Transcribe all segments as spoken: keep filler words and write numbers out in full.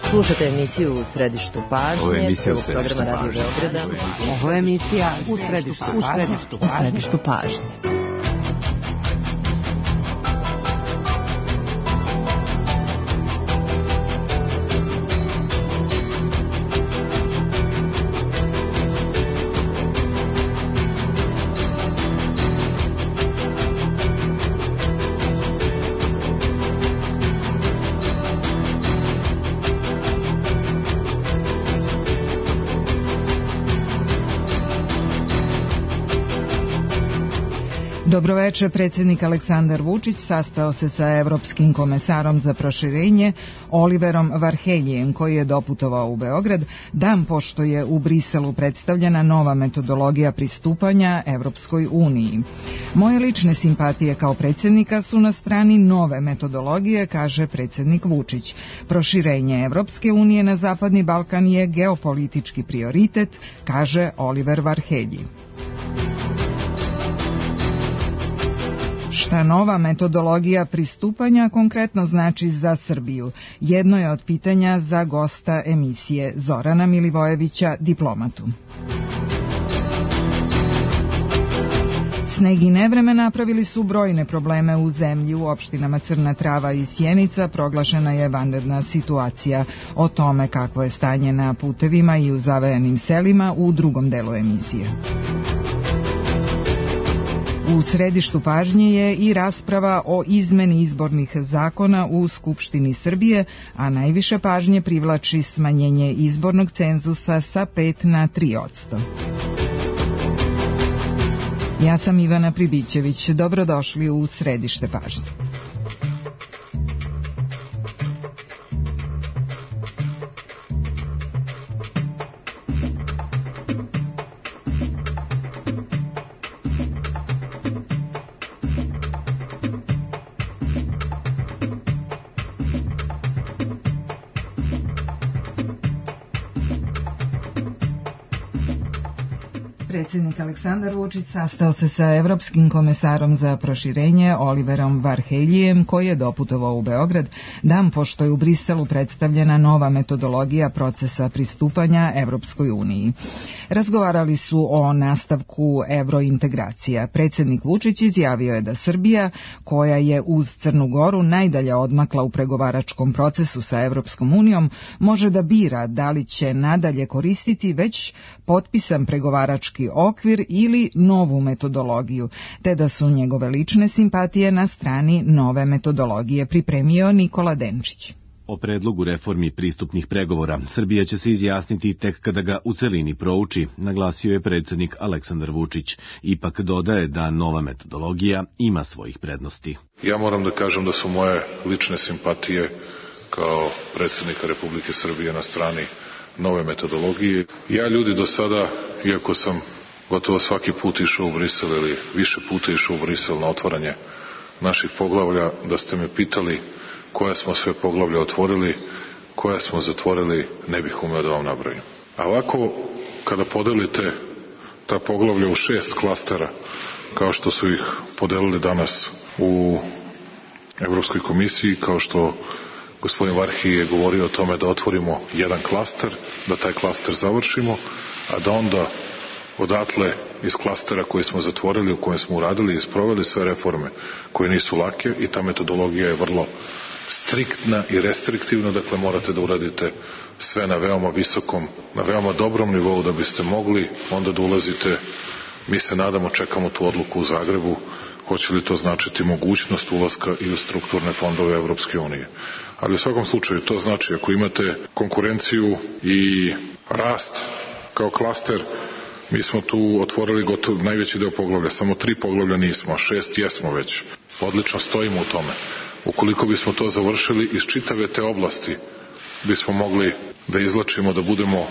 Slušate emisiju U središtu pažnje. Ovo je emisija U središtu programa Radio Beograda. Ovo je emisija U središtu pažnje. U središtu pažnje. Dobroveče, predsjednik Aleksandar Vučić sastao se sa evropskim komesarom za proširenje Oliverom Varheljijem, koji je doputovao u Beograd dan pošto je u Briselu predstavljena nova metodologija pristupanja Evropskoj uniji. Moje lične simpatije kao predsjednika su na strani nove metodologije, kaže predsjednik Vučić. Proširenje Evropske unije na Zapadni Balkan je geopolitički prioritet, kaže Oliver Varhelji. Šta nova metodologija pristupanja konkretno znači za Srbiju? Jedno je od pitanja za gosta emisije Zorana Milivojevića, diplomatu. Sneg i nevreme napravili su brojne probleme u zemlji. U opštinama Crna Trava i Sjenica proglašena je vanredna situacija. O tome kakvo je stanje na putevima i u zavajanim selima u drugom delu emisije. U središtu pažnje je i rasprava o izmeni izbornih zakona u Skupštini Srbije, a najviše pažnje privlači smanjenje izbornog cenzusa sa pet na tri posto. Ja sam Ivana Pribićević. Dobrodošli u središte pažnje. Predsjednik Aleksandar Vučić sastao se sa evropskim komesarom za proširenje Oliverom Varheljijem, koji je doputovao u Beograd dan pošto je u Briselu predstavljena nova metodologija procesa pristupanja Evropskoj uniji. Razgovarali su o nastavku evrointegracija. Predsjednik Vučić izjavio je da Srbija, koja je uz Crnu Goru najdalje odmakla u pregovaračkom procesu sa Evropskom unijom, može da bira da li će nadalje koristiti već potpisan pregovarački okvir ili novu metodologiju, te da su njegove lične simpatije na strani nove metodologije, pripremio Nikola Denčić. O predlogu reformi pristupnih pregovora Srbija će se izjasniti tek kada ga u celini prouči, naglasio je predsjednik Aleksandar Vučić. Ipak dodaje da nova metodologija ima svojih prednosti. Ja moram da kažem da su moje lične simpatije kao predsjednika Republike Srbije na strani nove metodologije. Ja ljudi do sada, iako sam gotovo svaki put išao u Brisel ili više puta išao u Brisel na otvaranje naših poglavlja, da ste me pitali koja smo sve poglavlja otvorili, koja smo zatvorili, ne bih umeo da vam nabrojim. A ovako, kada podelite ta poglavlja u šest klastera, kao što su ih podelili danas u Evropskoj komisiji, kao što gospodin Varhelji je govorio o tome da otvorimo jedan klaster, da taj klaster završimo, a da onda odatle iz klastera koji smo zatvorili, u kojem smo uradili i sproveli sve reforme koje nisu lake, i ta metodologija je vrlo striktna i restriktivna, dakle morate da uradite sve na veoma visokom, na veoma dobrom nivou da biste mogli onda da ulazite. Mi se nadamo, čekamo tu odluku u Zagrebu, hoće li to značiti mogućnost ulaska i u strukturne fondove Evropske unije. Ali u svakom slučaju to znači, ako imate konkurenciju i rast kao klaster, mi smo tu otvorili gotovo najveći deo poglavlja, samo tri poglavlja nismo, a šest jesmo već. Odlično stojimo u tome. Ukoliko bismo to završili, iz čitave te oblasti bismo mogli da izlačimo, da budemo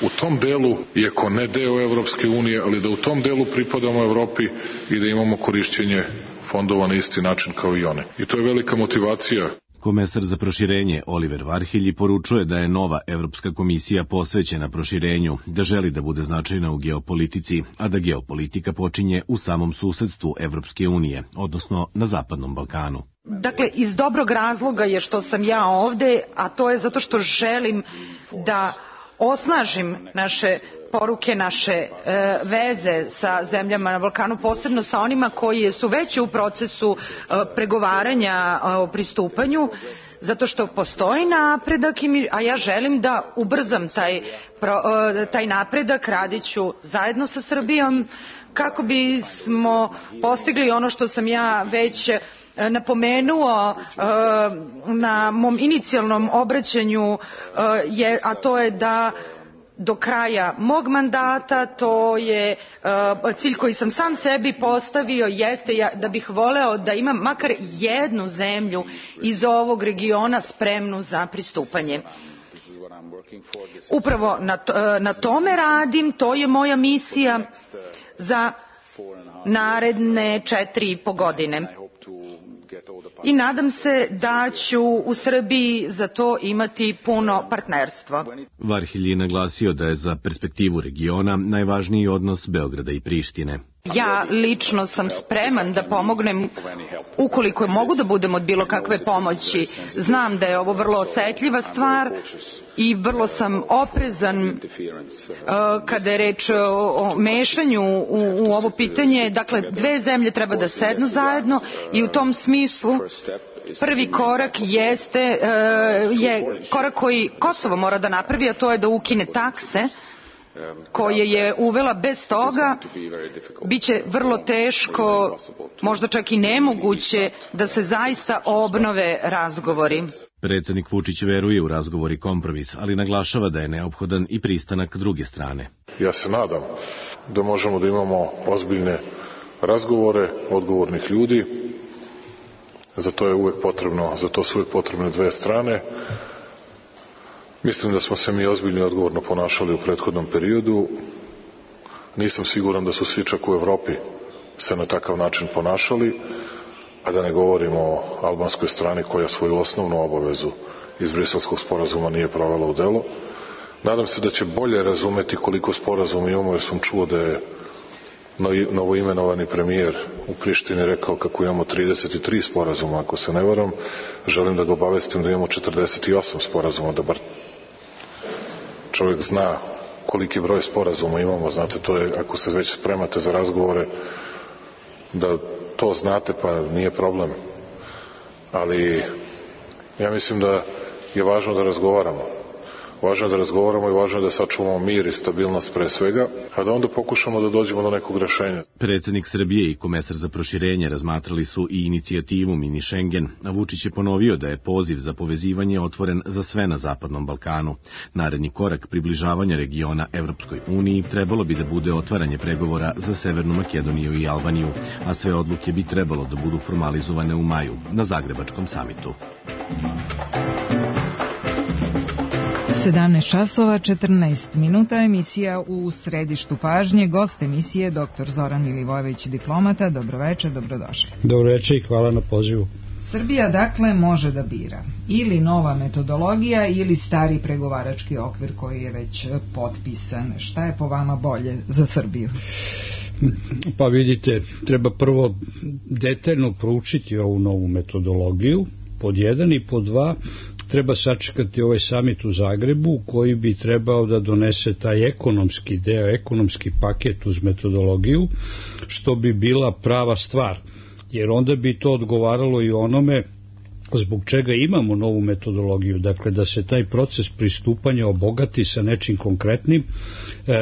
u tom delu, iako ne deo Evropske unije, ali da u tom delu pripadamo Evropi i da imamo korišćenje fondova na isti način kao i one. I to je velika motivacija. Komesar za proširenje Oliver Varhelji poručuje da je nova Evropska komisija posvećena proširenju, da želi da bude značajna u geopolitici, a da geopolitika počinje u samom susedstvu Evropske unije, odnosno na Zapadnom Balkanu. Dakle, iz dobrog razloga je što sam ja ovde, a to je zato što želim da osnažim naše poruke, naše e, veze sa zemljama na Balkanu, posebno sa onima koji su već u procesu e, pregovaranja e, o pristupanju, zato što postoji napredak, i mi, a ja želim da ubrzam taj, pro, e, taj napredak, radiću zajedno sa Srbijom kako bismo postigli ono što sam ja već napomenuo na mom inicijalnom obraćanju, a to je da do kraja mog mandata, to je cilj koji sam sam sebi postavio, jeste da bih voleo da imam makar jednu zemlju iz ovog regiona spremnu za pristupanje. Upravo na, na tome radim, to je moja misija za naredne četiri i po godine. I nadam se da ću u Srbiji za to imati puno partnerstva. Varhelji je naglasio da je za perspektivu regiona najvažniji odnos Beograda i Prištine. Ja lično sam spreman da pomognem ukoliko mogu da budem od bilo kakve pomoći. Znam da je ovo vrlo osetljiva stvar i vrlo sam oprezan uh, kada je reč o mešanju u, u ovo pitanje. Dakle, dve zemlje treba da sednu zajedno i u tom smislu prvi korak jeste uh, je korak koji Kosovo mora da napravi, a to je da ukine takse koje je uvela. Bez toga biće vrlo teško, možda čak i nemoguće, da se zaista obnove razgovori. Predsednik Vučić veruje u razgovor i kompromis, ali naglašava da je neophodan i pristanak druge strane. Ja se nadam da možemo da imamo ozbiljne razgovore odgovornih ljudi. Za to je uvek potrebno, za to su uvek potrebne dve strane. Mislim da smo se mi ozbiljno i odgovorno ponašali u prethodnom periodu. Nisam siguran da su svi čak u Evropi se na takav način ponašali, a da ne govorimo o albanskoj strani koja svoju osnovnu obavezu iz Briselskog sporazuma nije provela u delo. Nadam se da će bolje razumeti koliko sporazuma imamo, jer sam čuo da je novoimenovani premijer u Prištini rekao kako imamo trideset tri sporazuma, ako se ne varam. Želim da ga obavestim da imamo četrdeset osam sporazuma, da bar čovjek zna koliki broj sporazuma imamo. Znate, to je, ako se već spremate za razgovore, da to znate, pa nije problem. Ali ja mislim da je važno da razgovaramo. Važno je da razgovaramo i važno je da sačuvamo mir i stabilnost pre svega, a da onda pokušamo da dođemo do nekog rešenja. Predsednik Srbije i komesar za proširenje razmatrali su i inicijativu Mini Schengen, a Vučić je ponovio da je poziv za povezivanje otvoren za sve na Zapadnom Balkanu. Naredni korak približavanja regiona Evropskoj uniji trebalo bi da bude otvaranje pregovora za Severnu Makedoniju i Albaniju, a sve odluke bi trebalo da budu formalizovane u maju na Zagrebačkom samitu. sedamnaest časova četrnaest minuta, emisija u središtu pažnje. Gost emisije doktor Zoran Milivojević, diplomata. Dobroveče, dobrodošli. Dobroveče i hvala na pozivu. Srbija dakle može da bira ili nova metodologija ili stari pregovarački okvir koji je već potpisan. Šta je po vama bolje za Srbiju? Pa vidite, treba prvo detaljno proučiti ovu novu metodologiju, pod jedan, i pod dva, treba sačekati ovaj samit u Zagrebu koji bi trebao da donese taj ekonomski deo, ekonomski paket uz metodologiju, što bi bila prava stvar, jer onda bi to odgovaralo i onome zbog čega imamo novu metodologiju, dakle da se taj proces pristupanja obogati sa nečim konkretnim,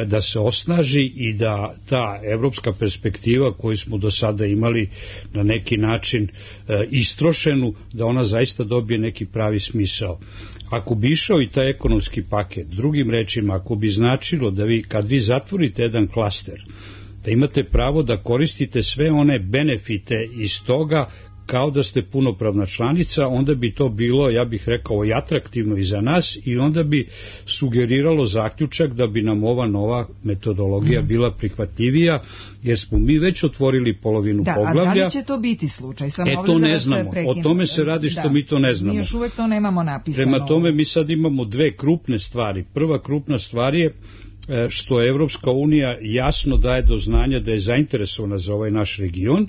da se osnaži i da ta evropska perspektiva koju smo do sada imali na neki način istrošenu, da ona zaista dobije neki pravi smisao. Ako bi išao i taj ekonomski paket, drugim rečima, ako bi značilo da vi, kad vi zatvorite jedan klaster, da imate pravo da koristite sve one benefite iz toga kao da ste punopravna članica, onda bi to bilo, ja bih rekao, i atraktivno i za nas, i onda bi sugeriralo zaključak da bi nam ova nova metodologija bila prihvatljivija, jer smo mi već otvorili polovinu da, poglavlja. A da li će to biti slučaj? Samo e, to ne znamo. O tome se radi što da, mi to ne znamo. Mi još uvek to nemamo napisano. Prema tome mi sad imamo dve krupne stvari. Prva krupna stvar je što Evropska unija jasno daje do znanja da je zainteresovana za ovaj naš region,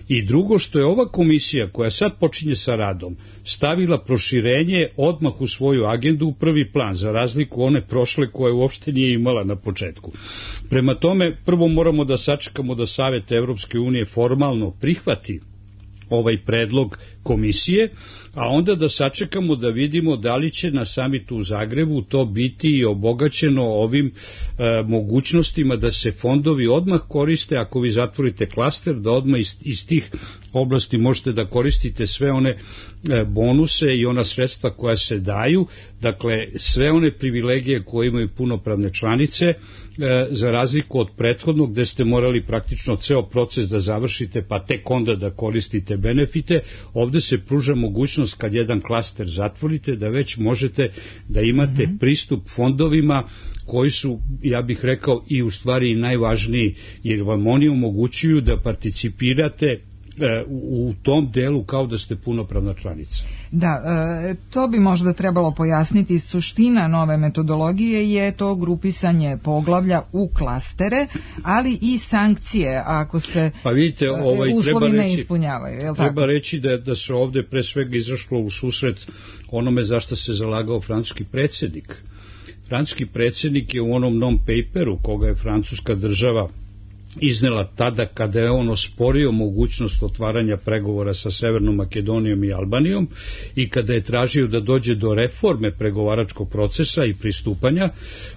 i drugo što je ova komisija koja sad počinje sa radom stavila proširenje odmah u svoju agendu u prvi plan, za razliku one prošle koje uopšte nije imala na početku. Prema tome, prvo moramo da sačekamo da Savet Evropske unije formalno prihvati ovaj predlog komisije, a onda da sačekamo da vidimo da li će na samitu u Zagrebu to biti obogaćeno ovim e, mogućnostima da se fondovi odmah koriste. Ako vi zatvorite klaster, da odmah iz, iz tih oblasti možete da koristite sve one e, bonuse i ona sredstva koja se daju, dakle sve one privilegije koje imaju punopravne članice, e, za razliku od prethodnog gde ste morali praktično ceo proces da završite pa tek onda da koristite benefite. Ovde se pruža mogućnost kad jedan klaster zatvorite da već možete da imate mm-hmm. pristup fondovima koji su, ja bih rekao, i u stvari najvažniji, jer vam oni omogućuju da participirate u tom delu kao da ste punopravna članica. Da, to bi možda trebalo pojasniti. Suština nove metodologije je to grupisanje poglavlja u klastere, ali i sankcije ako se pa vidite, ovaj, uslovi treba ne reći, ispunjavaju. Je li treba tako? reći da, da se ovde pre svega izašlo u susret onome za što se zalagao francuski predsjednik. Francuski predsjednik je u onom non-paperu koga je francuska država iznela tada kada je on osporio mogućnost otvaranja pregovora sa Severnom Makedonijom i Albanijom i kada je tražio da dođe do reforme pregovaračkog procesa i pristupanja,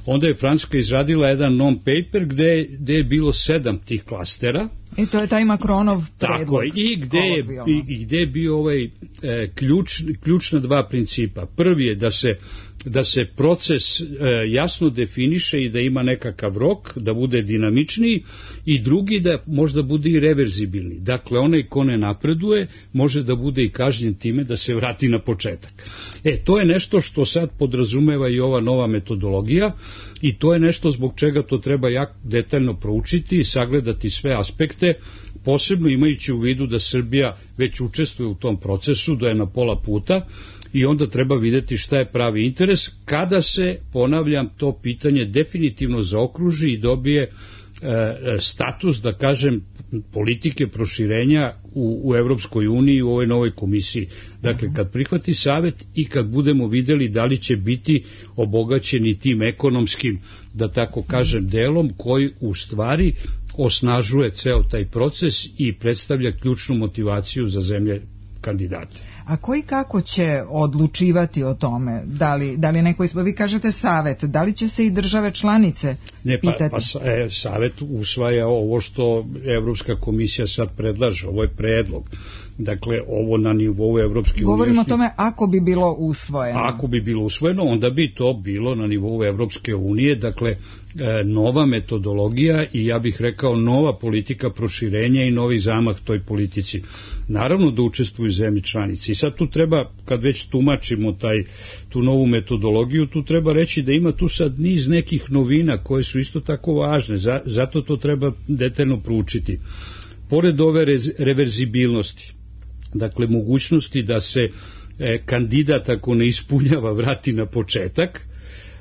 onda je Francuska izradila jedan non-paper gde, gde je bilo sedam tih klastera. I to je taj Makronov predlog. Tako, i gde je, i, i gde je bio ovaj e, ključ, ključna dva principa. Prvi je da se da se proces e, jasno definiše i da ima nekakav rok, da bude dinamičniji, i drugi da možda bude i reverzibilni. Dakle, onaj ko ne napreduje može da bude i kažnjen time da se vrati na početak. E, to je nešto što sad podrazumeva i ova nova metodologija, i to je nešto zbog čega to treba jako detaljno proučiti i sagledati sve aspekte, posebno imajući u vidu da Srbija već učestvuje u tom procesu, da je na pola puta, i onda treba videti šta je pravi interes kada se, ponavljam, to pitanje definitivno zaokruži i dobije e, status, da kažem, politike proširenja u, u Evropskoj uniji, u ovoj novoj komisiji. Dakle, kad prihvati Savet i kad budemo videli da li će biti obogaćeni tim ekonomskim, da tako kažem, delom koji u stvari osnažuje ceo taj proces i predstavlja ključnu motivaciju za zemlje kandidate. A koji kako će odlučivati o tome? Da li, da li neko ispo... Vi kažete Savet, da li će se i države članice ne, pa, pitati? Pa e, Savet usvaja ovo što Evropska komisija sad predlaže, ovo je predlog. Dakle, ovo na nivou Evropske unije. Govorimo o tome ako bi bilo usvojeno. Ako bi bilo usvojeno, onda bi to bilo na nivou Evropske unije, dakle, nova metodologija i ja bih rekao nova politika proširenja i novi zamah toj politici. Naravno da učestvuju zemlje članice. I sad tu treba, kad već tumačimo taj, tu novu metodologiju, tu treba reći da ima tu sad niz nekih novina koje su isto tako važne, zato to treba detaljno proučiti. Pored ove reverzibilnosti, dakle mogućnosti da se e, kandidat ako ne ispunjava vrati na početak,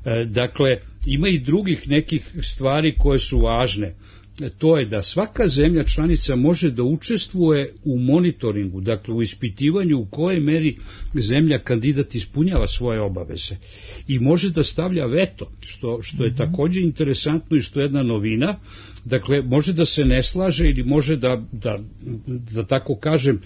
e, dakle ima i drugih nekih stvari koje su važne. E, to je da svaka zemlja članica može da učestvuje u monitoringu, dakle u ispitivanju u kojoj meri zemlja kandidat ispunjava svoje obaveze i može da stavlja veto, što, što je također interesantno i što je jedna novina. Dakle, može da se ne slaže ili može da, da, da tako kažem,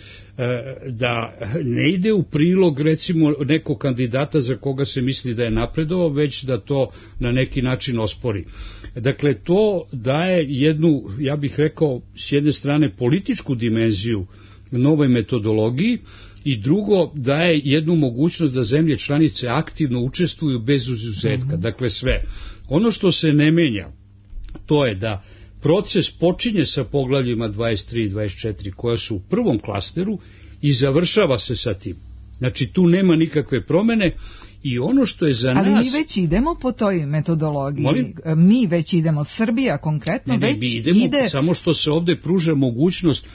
da ne ide u prilog recimo nekog kandidata za koga se misli da je napredovao, već da to na neki način ospori. Dakle, to daje jednu, ja bih rekao, s jedne strane političku dimenziju novoj metodologiji, i drugo daje jednu mogućnost da zemlje članice aktivno učestvuju bez izuzetka, dakle sve. Ono što se ne menja, to je da proces počinje sa poglavljima dvadeset tri i dvadeset četiri koja su u prvom klasteru i završava se sa tim. Znači tu nema nikakve promene i ono što je za Ali nas... Ali mi već idemo po toj metodologiji. Molim? Mi već idemo, Srbija konkretno ne, ne, već mi idemo, ide... Samo što se ovde pruža mogućnost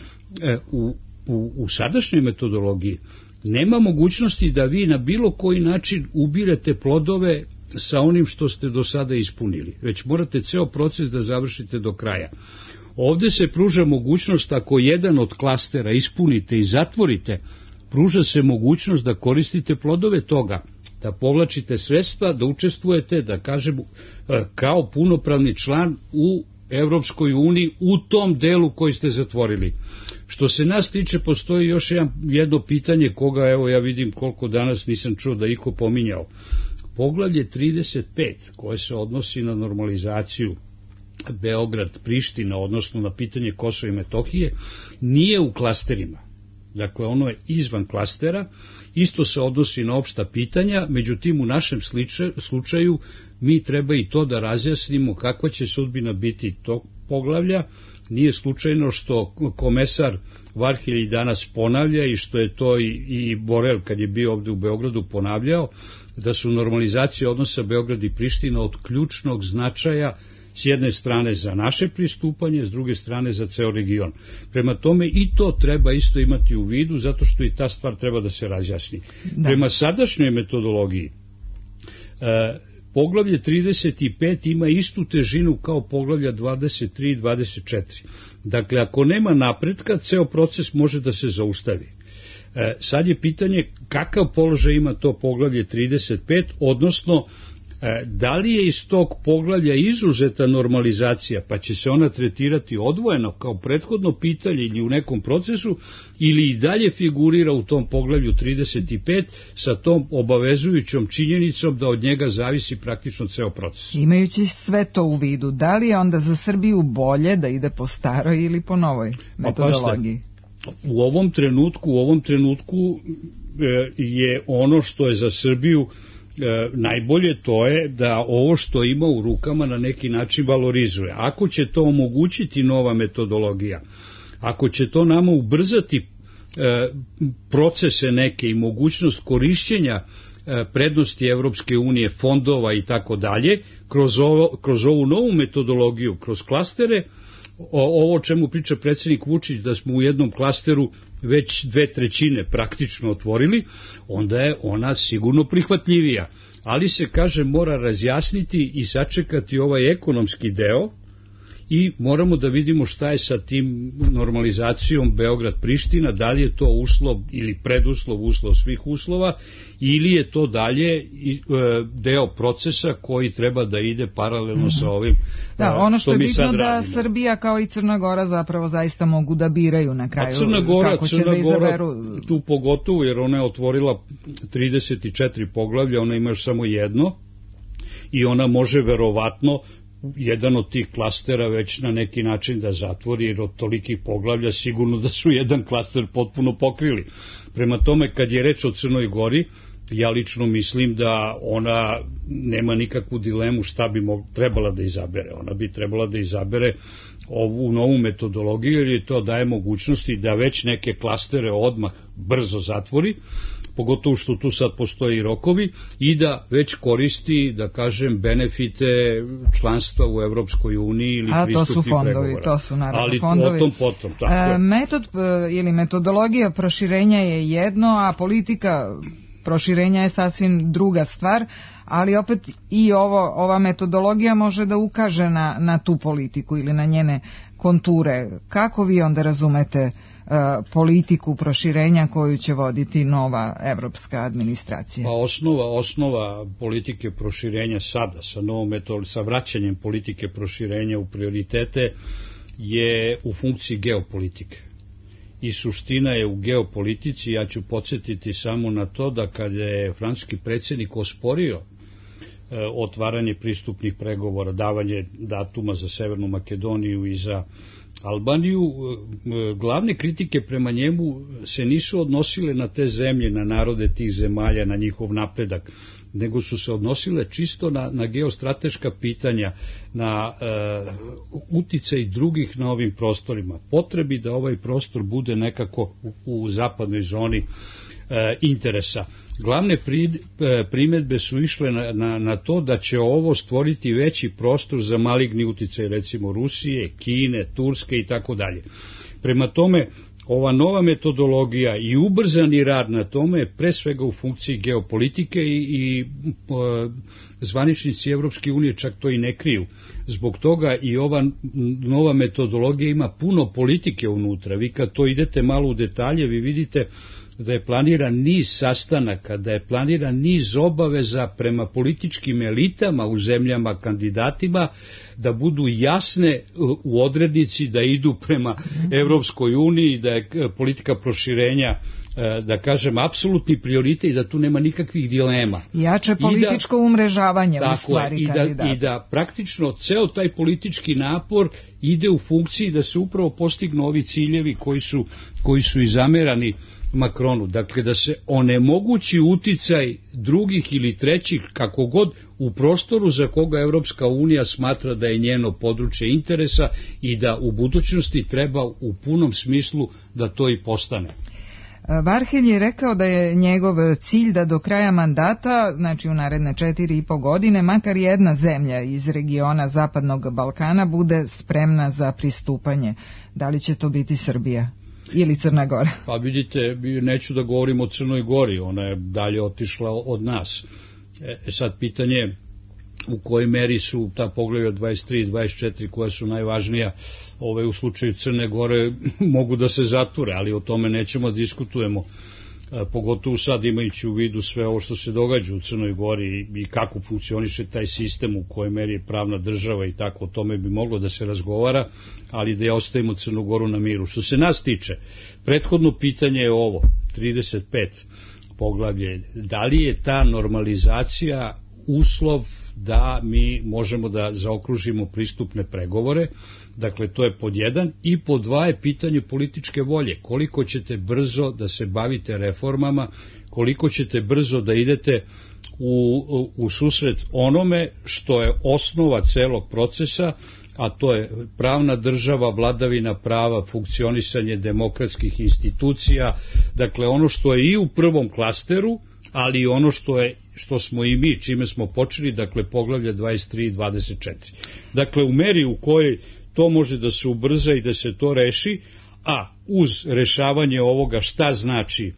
e, u, u, u sadašnjoj metodologiji nema mogućnosti da vi na bilo koji način ubirete plodove sa onim što ste do sada ispunili, već morate ceo proces da završite do kraja. Ovde se pruža mogućnost, ako jedan od klastera ispunite i zatvorite, pruža se mogućnost da koristite plodove toga, da povlačite sredstva, da učestvujete, da kažemo, kao punopravni član u Evropskoj uniji u tom delu koji ste zatvorili. Što se nas tiče, postoji još jedno pitanje koga, evo ja vidim koliko danas nisam čuo da iko pominjao. Poglavlje trideset pet, koje se odnosi na normalizaciju Beograd-Priština, odnosno na pitanje Kosova i Metohije, nije u klasterima. Dakle, ono je izvan klastera, isto se odnosi na opšta pitanja, međutim u našem slučaju mi treba i to da razjasnimo kakva će sudbina biti tog poglavlja. Nije slučajno što komesar Varhelji danas ponavlja i što je to i, i Borel kad je bio ovde u Beogradu ponavljao, da su normalizacije odnosa Beograd i Priština od ključnog značaja, s jedne strane za naše pristupanje, s druge strane za ceo region. Prema tome i to treba isto imati u vidu, zato što i ta stvar treba da se razjasni. Da. Prema sadašnjoj metodologiji, e, poglavlje trideset pet ima istu težinu kao poglavlja dvadeset tri i dvadeset četiri. Dakle, ako nema napretka, ceo proces može da se zaustavi. E, sad je pitanje kakav položaj ima to poglavlje trideset pet, odnosno da li je iz tog poglavlja izuzeta normalizacija, pa će se ona tretirati odvojeno kao prethodno pitanje ili u nekom procesu, ili i dalje figurira u tom poglavlju trideset pet sa tom obavezujućom činjenicom da od njega zavisi praktično ceo proces. Imajući sve to u vidu, da li je onda za Srbiju bolje da ide po staroj ili po novoj metodologiji? Pa, u ovom trenutku, u ovom trenutku je ono što je za Srbiju E, najbolje, to je da ovo što ima u rukama na neki način valorizuje. Ako će to omogućiti nova metodologija, ako će to nama ubrzati e, procese neke i mogućnost korišćenja e, prednosti Evropske unije, fondova i tako dalje, kroz ovo, kroz ovu novu metodologiju, kroz klastere, o, ovo o čemu priča predsjednik Vučić, da smo u jednom klasteru već dve trećine praktično otvorili, onda je ona sigurno prihvatljivija. Ali se, kaže, mora razjasniti i sačekati ovaj ekonomski deo i moramo da vidimo šta je sa tim normalizacijom Beograd-Priština, da li je to uslov ili preduslov, uslov svih uslova, ili je to dalje deo procesa koji treba da ide paralelno mm-hmm. sa ovim da, ono što, što je mi sad radimo. Da Srbija kao i Crna Gora zapravo zaista mogu da biraju na kraju. A Crna Gora, kako Crna će da izaberu. Gora tu pogotovo, jer ona je otvorila trideset četiri poglavlja, ona ima još samo jedno i ona može verovatno jedan od tih klastera već na neki način da zatvori, jer od tolikih poglavlja sigurno da su jedan klaster potpuno pokrili. Prema tome, kad je reč o Crnoj Gori, ja lično mislim da ona nema nikakvu dilemu šta bi mog, trebala da izabere. Ona bi trebala da izabere ovu novu metodologiju, jer je to daje mogućnosti da već neke klastere odmah brzo zatvori, pogotovo što tu sad postoji rokovi, i da već koristi, da kažem, benefite članstva u Evropskoj uniji ili pristupnih pregovora. A to su fondovi, to su naravno Ali fondovi. Ali o tom potom, tako je. E, metod ili metodologija proširenja je jedno, a politika proširenja je sasvim druga stvar, ali opet i ovo, ova metodologija može da ukaže na, na tu politiku ili na njene konture. Kako vi onda razumete uh, politiku proširenja koju će voditi nova evropska administracija? Pa osnova, osnova politike proširenja sada, sa novom metodom, sa vraćanjem politike proširenja u prioritete je u funkciji geopolitike. I suština je u geopolitici. Ja ću podsjetiti samo na to da kada je francuski predsjednik osporio e, otvaranje pristupnih pregovora, davanje datuma za Severnu Makedoniju i za Albaniju, e, glavne kritike prema njemu se nisu odnosile na te zemlje, na narode tih zemalja, na njihov napredak, nego su se odnosile čisto na, na geostrateška pitanja, na e, uticaj drugih na ovim prostorima, potrebi da ovaj prostor bude nekako u, u zapadnoj zoni e, interesa. Glavne pri, e, primedbe su išle na, na, na to da će ovo stvoriti veći prostor za maligni uticaj, recimo Rusije, Kine, Turske i tako dalje. Prema tome, ova nova metodologija i ubrzani rad na tome je pre svega u funkciji geopolitike i, i uh, zvaničnici Evropske unije čak to i ne kriju. Zbog toga i ova nova metodologija ima puno politike unutra. Vi kad to idete malo u detalje, vi vidite da je planiran niz sastanaka, da je planiran niz obaveza prema političkim elitama u zemljama kandidatima, da budu jasne u odrednici, da idu prema Evropskoj uniji, da je politika proširenja, da kažem, apsolutni prioritet i da tu nema nikakvih dilema. Jače političko da, umrežavanje u stvari kandidata. I da praktično ceo taj politički napor ide u funkciji da se upravo postignu ovi ciljevi koji su, koji su i zamerani Makronu, dakle da se onemogući uticaj drugih ili trećih, kako god, u prostoru za koga Evropska unija smatra da je njeno područje interesa i da u budućnosti treba u punom smislu da to i postane. Varhelj je rekao da je njegov cilj da do kraja mandata, znači u naredne četiri i po godine, makar jedna zemlja iz regiona Zapadnog Balkana bude spremna za pristupanje. Da li će to biti Srbija ili Crna Gora? Pa vidite, neću da govorim o Crnoj Gori, ona je dalje otišla od nas. E sad pitanje u kojoj meri su ta poglavlja dvadeset tri i dvadeset četiri koja su najvažnija ove u slučaju Crne Gore mogu da se zatvore, ali o tome nećemo diskutujemo, e, pogotovo sad imajući u vidu sve ovo što se događa u Crnoj Gori i, i kako funkcioniše taj sistem, u kojoj meri je pravna država i tako, o tome bi moglo da se razgovara, ali da je ostavimo Crnu Goru na miru. Što se nas tiče, prethodno pitanje je ovo, trideset pet poglavlje, da li je ta normalizacija uslov da mi možemo da zaokružimo pristupne pregovore, dakle to je pod jedan, i pod dva je pitanje političke volje, koliko ćete brzo da se bavite reformama, koliko ćete brzo da idete u, u, u susret onome što je osnova celog procesa, a to je pravna država, vladavina prava, funkcionisanje demokratskih institucija, dakle ono što je i u prvom klasteru, ali ono što je što smo i mi, čime smo počeli, dakle poglavlja dvadeset tri i dvadeset četiri. Dakle, u meri u kojoj to može da se ubrza i da se to reši, a uz rešavanje ovoga šta znači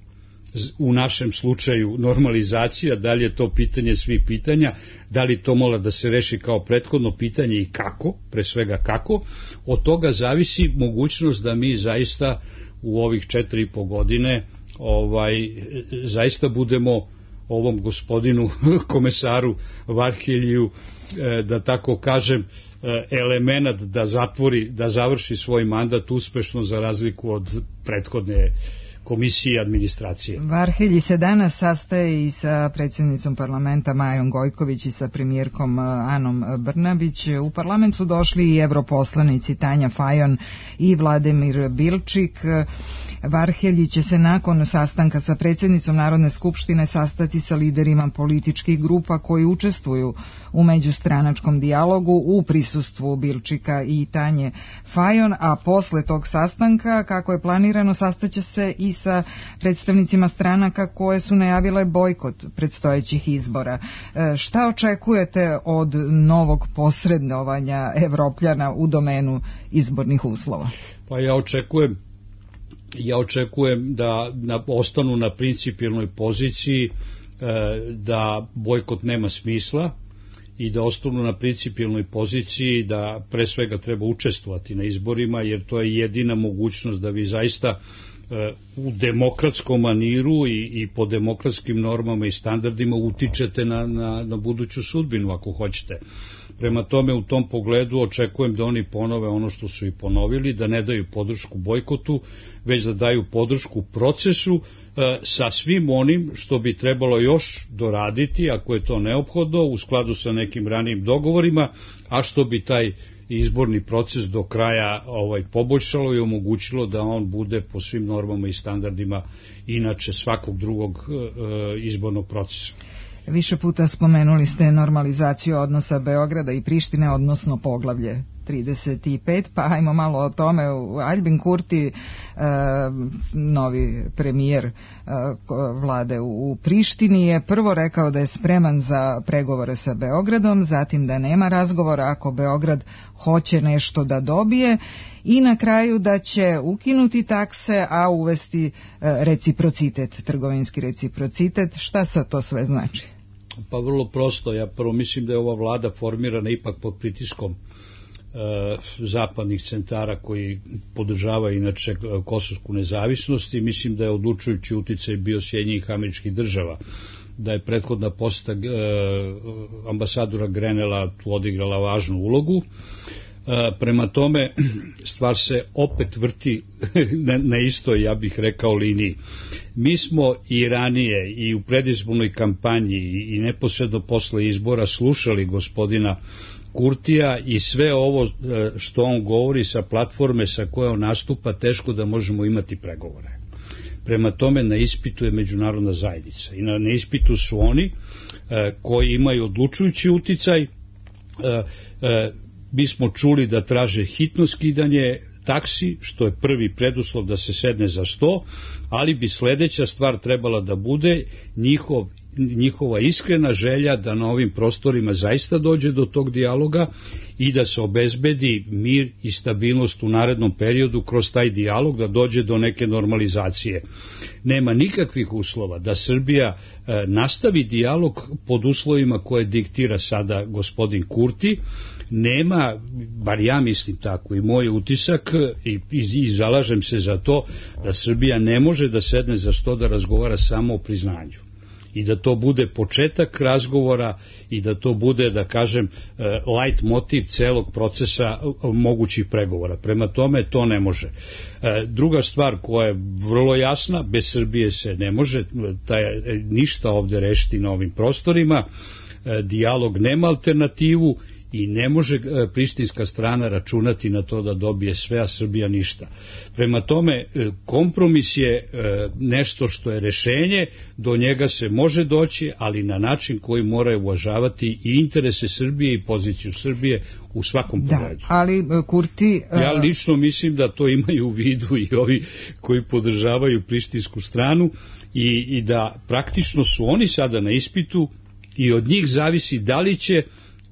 u našem slučaju normalizacija, da li je to pitanje svih pitanja, da li to mora da se reši kao prethodno pitanje i kako, pre svega kako, od toga zavisi mogućnost da mi zaista u ovih četiri i po godine ovaj, zaista budemo ovom gospodinu komesaru Varheljiju, da tako kažem, elemenat da zatvori, da završi svoj mandat uspešno za razliku od prethodne komisije i administracije. Varhelji se danas sastaje i sa predsjednicom parlamenta Majom Gojković i sa premijerkom Anom Brnabić. U parlament su došli i evroposlanici Tanja Fajon i Vladimir Bilčik. Varhelji će se nakon sastanka sa predsjednicom Narodne skupštine sastati sa liderima političkih grupa koji učestvuju u međustranačkom dijalogu u prisustvu Bilčika i Tanje Fajon, a posle tog sastanka, kako je planirano, sastaće se i sa predstavnicima stranaka koje su najavile bojkot predstojećih izbora. Šta očekujete od novog posredovanja Evropljana u domenu izbornih uslova? Pa ja očekujem ja očekujem da na, ostanu na principijelnoj poziciji, da bojkot nema smisla i da ostanu na principijelnoj poziciji da pre svega treba učestvovati na izborima, jer to je jedina mogućnost da vi zaista u demokratskom maniru i, i po demokratskim normama i standardima utičete na, na, na buduću sudbinu ako hoćete. Prema tome, u tom pogledu očekujem da oni ponove ono što su i ponovili, da ne daju podršku bojkotu, već da daju podršku procesu e, sa svim onim što bi trebalo još doraditi, ako je to neophodno, u skladu sa nekim ranijim dogovorima, a što bi taj izborni proces do kraja ovaj poboljšalo i omogućilo da on bude po svim normama i standardima inače svakog drugog e, izbornog procesa. Više puta spomenuli ste normalizaciju odnosa Beograda i Prištine, odnosno poglavlje trideset pet, pa ajmo malo o tome. Aljbin Kurti, e, novi premijer e, vlade u Prištini, je prvo rekao da je spreman za pregovore sa Beogradom, zatim da nema razgovora ako Beograd hoće nešto da dobije i na kraju da će ukinuti takse, a uvesti e, reciprocitet, trgovinski reciprocitet. Šta sad to sve znači? Pa vrlo prosto. Ja prvo mislim da je ova vlada formirana ipak pod pritiskom zapadnih centara koji podržavaju inače kosovsku nezavisnost i mislim da je odlučujući uticaj bio Sjedinjenih Američkih Država, da je prethodna poseta ambasadora Grenela tu odigrala važnu ulogu. Prema tome stvar se opet vrti na, na istoj, ja bih rekao, liniji. Mi smo i ranije i u predizbornoj kampanji i neposredno posle izbora slušali gospodina Kurtija i sve ovo što on govori sa platforme sa koje on nastupa, teško da možemo imati pregovore. Prema tome na ispitu je međunarodna zajednica i na, na ispitu su oni e, koji imaju odlučujući uticaj. E, e, mi smo čuli da traže hitno skidanje taksi, što je prvi preduslov da se sedne za sto, ali bi sledeća stvar trebala da bude njihov njihova iskrena želja da na ovim prostorima zaista dođe do tog dijaloga i da se obezbedi mir i stabilnost u narednom periodu kroz taj dijalog, da dođe do neke normalizacije. Nema nikakvih uslova da Srbija e, nastavi dijalog pod uslovima koje diktira sada gospodin Kurti. Nema, bar ja mislim tako i moj utisak i, i, i zalažem se za to da Srbija ne može da sedne za sto da razgovara samo o priznanju. I da to bude početak razgovora i da to bude, da kažem, light motiv celog procesa mogućih pregovora. Prema tome to ne može. Druga stvar koja je vrlo jasna, bez Srbije se ne može taj, ništa ovde rešiti na ovim prostorima, dijalog nema alternativu i ne može prištinska strana računati na to da dobije sve, a Srbija ništa. Prema tome, kompromis je nešto što je rešenje, do njega se može doći, ali na način koji mora uvažavati i interese Srbije i poziciju Srbije u svakom pogledu. Da, ali Kurti... Ja lično mislim da to imaju u vidu i ovi koji podržavaju prištinsku stranu i, i da praktično su oni sada na ispitu i od njih zavisi da li će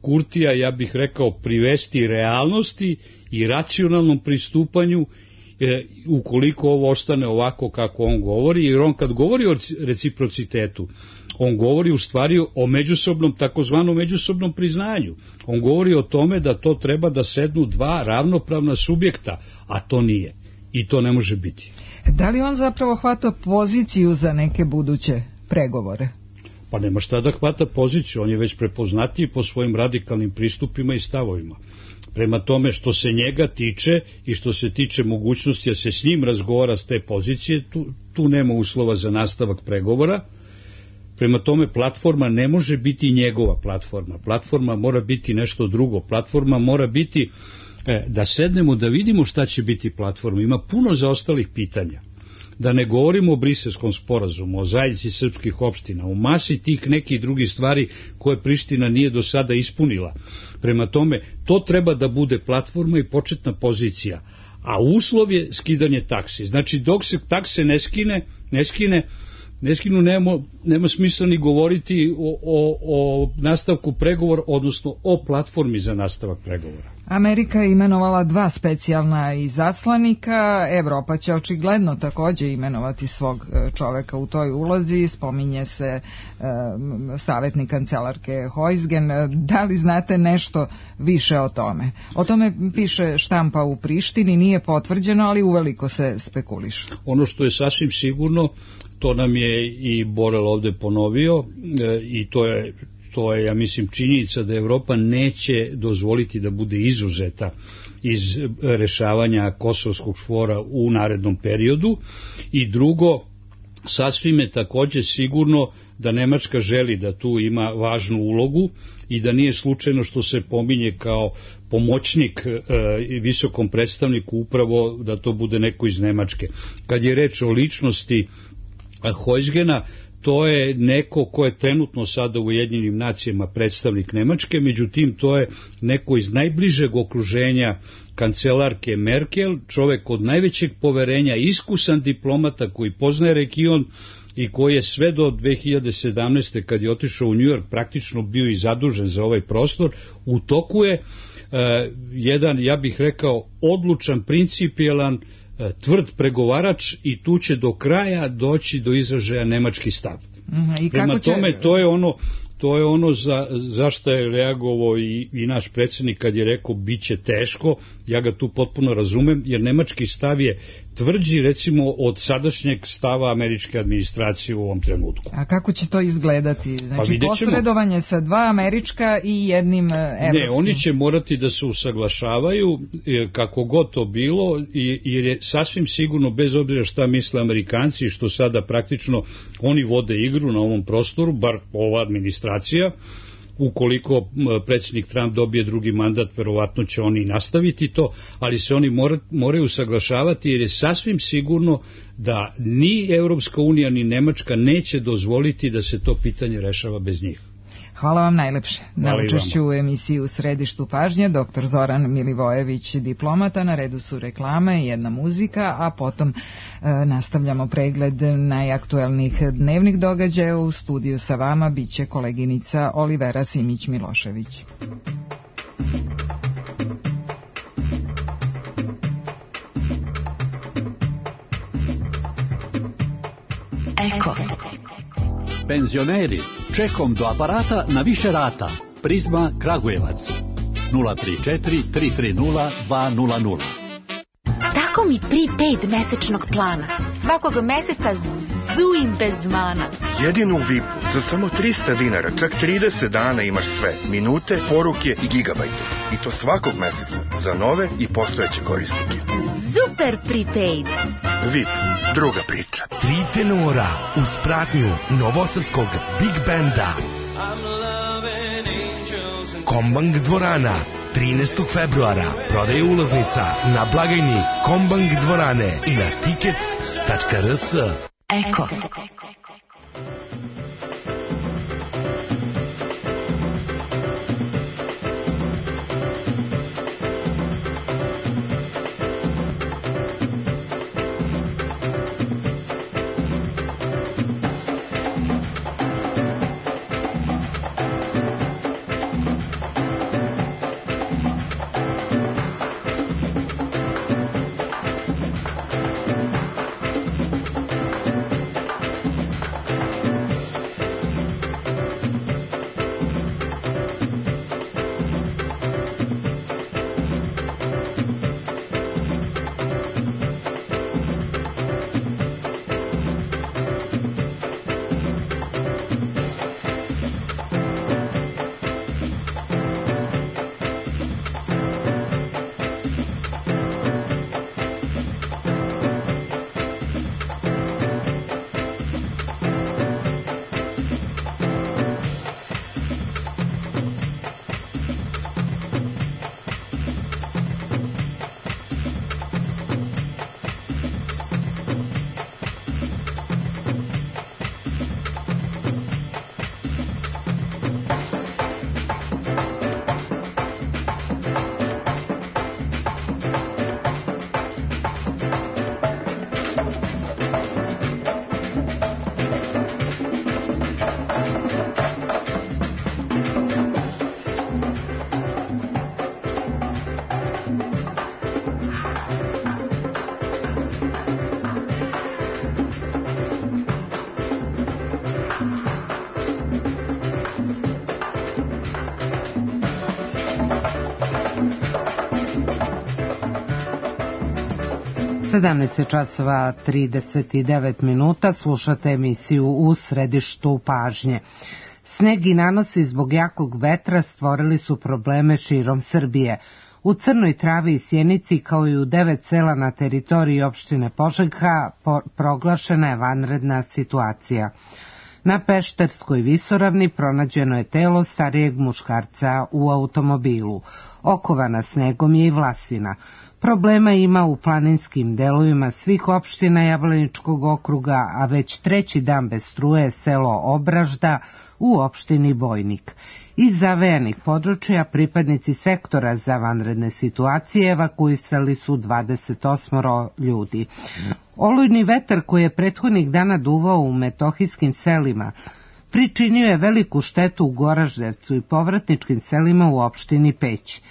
Kurtija, ja bih rekao, privesti realnosti i racionalnom pristupanju e, ukoliko ovo ostane ovako kako on govori, jer on kad govori o reciprocitetu, on govori u stvari o međusobnom, takozvanom međusobnom priznanju. On govori o tome da to treba da sednu dva ravnopravna subjekta, a to nije. I to ne može biti. Da li on zapravo hvata poziciju za neke buduće pregovore? Pa nema šta da hvata poziciju, on je već prepoznatiji po svojim radikalnim pristupima i stavovima. Prema tome što se njega tiče i što se tiče mogućnosti da se s njim razgovara s te pozicije, tu, tu nema uslova za nastavak pregovora. Prema tome platforma ne može biti njegova platforma. Platforma mora biti nešto drugo. Platforma mora biti e, da sednemo da vidimo šta će biti platforma. Ima puno zaostalih pitanja. Da ne govorimo o Briselskom sporazumu, o zajednici srpskih opština, o masi tih nekih drugih stvari koje Priština nije do sada ispunila. Prema tome, to treba da bude platforma i početna pozicija, a uslov je skidanje taksi. Znači, dok se takse ne skine, ne skine, ne skinu, nema, nema smisla ni govoriti o, o, o nastavku pregovora, odnosno o platformi za nastavak pregovora. Amerika je imenovala dva specijalna izaslanika, Evropa će očigledno takođe imenovati svog čoveka u toj ulozi, spominje se e, savjetnik kancelarke Heusgen. Da li znate nešto više o tome? O tome piše štampa u Prištini, nije potvrđeno, ali uveliko se spekuliše. Ono što je sasvim sigurno, to nam je i Borel ovde ponovio e, i to je To je, ja mislim, činjenica da Evropa neće dozvoliti da bude izuzeta iz rešavanja kosovskog čvora u narednom periodu. I drugo, sasvim je takođe sigurno da Nemačka želi da tu ima važnu ulogu i da nije slučajno što se pominje kao pomoćnik e, visokom predstavniku upravo da to bude neko iz Nemačke. Kad je reč o ličnosti Hojsgena, to je neko ko je trenutno sada u Ujedinjenim nacijama predstavnik Nemačke, međutim to je neko iz najbližeg okruženja kancelarke Merkel, čovek od najvećeg poverenja, iskusan diplomata koji poznaje region i koji je sve do dve hiljade sedamnaeste. kad je otišao u New York praktično bio i zadužen za ovaj prostor. U toku je uh, jedan, ja bih rekao, odlučan, principijelan, tvrd pregovarač i tu će do kraja doći do izražaja nemački stav. Mm, i Prema kako će... tome, to je ono, to je ono za, za što je reagovao i, i naš predsjednik kad je rekao bit će teško. Ja ga tu potpuno razumem, jer nemački stav je tvrđi recimo od sadašnjeg stava američke administracije u ovom trenutku. A kako će to izgledati? Znači pa posredovanje sa dva američka i jednim evropskim? Ne, oni će morati da se usaglašavaju kako god to bilo, jer je sasvim sigurno, bez obzira šta misle Amerikanci, što sada praktično oni vode igru na ovom prostoru, bar ova administracija, ukoliko predsjednik Trump dobije drugi mandat, verovatno će oni nastaviti to, ali se oni mora, moraju usaglašavati, jer je sasvim sigurno da ni Evropska unija ni Nemačka neće dozvoliti da se to pitanje rešava bez njih. Hvala vam najlepše na učešću u emisiji U središtu pažnje. Doktor Zoran Milivojević, diplomata, na redu su reklame i jedna muzika, a potom e, nastavljamo pregled najaktuelnijih dnevnih događaja. U studiju sa vama biće koleginica Olivera Simić-Milošević. Eko. Penzioneri, čekom do aparata na više rata. Prizma Kragujevac. nula tri četiri tri tri nula dva nula nula. Tako mi prepaid mesečnog plana. Svakog meseca zujim bez mana. Jedinu vipu za samo trista dinara, čak trideset dana imaš sve. Minute, poruke i gigabajte. I to svakog meseca za nove i postojeće korisnike. Super prepaid. V I P, druga priča. Tri tenora uz pratnju novosadskog Big Banda. Kombank dvorana, trinaestog februara. Prodaje ulaznica na blagajni Kombank dvorane i na tickets tačka r s. Eko. sedamnaest časova trideset devet minuta, slušate emisiju U središtu pažnje. Sneg i nanosi zbog jakog vetra stvorili su probleme širom Srbije. U Crnoj Travi i Sjenici, kao i u devet sela na teritoriji opštine Požega, proglašena je vanredna situacija. Na Pešterskoj visoravni pronađeno je telo starijeg muškarca u automobilu. Okovana snegom je i Vlasina. Problema ima u planinskim delovima svih opština Jablaničkog okruga, a već treći dan bez struje je selo Obražda u opštini Bojnik. Iz zavejanih područja pripadnici sektora za vanredne situacije evakuisali su dvadeset osam ljudi. Olujni vetar koji je prethodnih dana duvao u metohijskim selima pričinio je veliku štetu u Goraždevcu i povratničkim selima u opštini Peć.